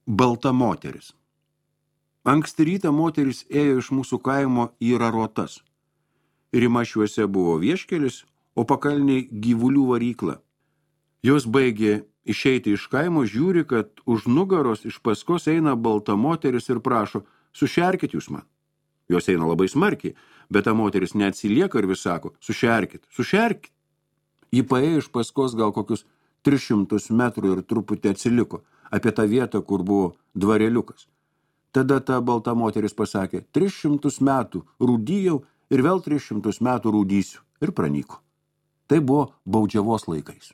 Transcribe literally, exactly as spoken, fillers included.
Balta moteris. Anksti rytą moteris ėjo iš mūsų kaimo į Rarotas. Rimašiuose buvo vieškelis, o pakalniai gyvulių varykla. Jos baigė išeiti iš kaimo, žiūri, kad už nugaros iš paskos eina balta moteris ir prašo, sušerkit jūs man. Jos eina labai smarkiai, bet ta moteris neatsilieka ir vis sako, sušerkit, sušerkit. Ji paėjo iš paskos gal kokius tris šimtus metrų ir truputį atsiliko apie tą vietą, kur buvo dvareliukas. Tada ta balta moteris pasakė, tris šimtus metų rūdyjau ir vėl tris šimtus metų rūdysiu ir pranyko. Tai buvo baudžiavos laikais.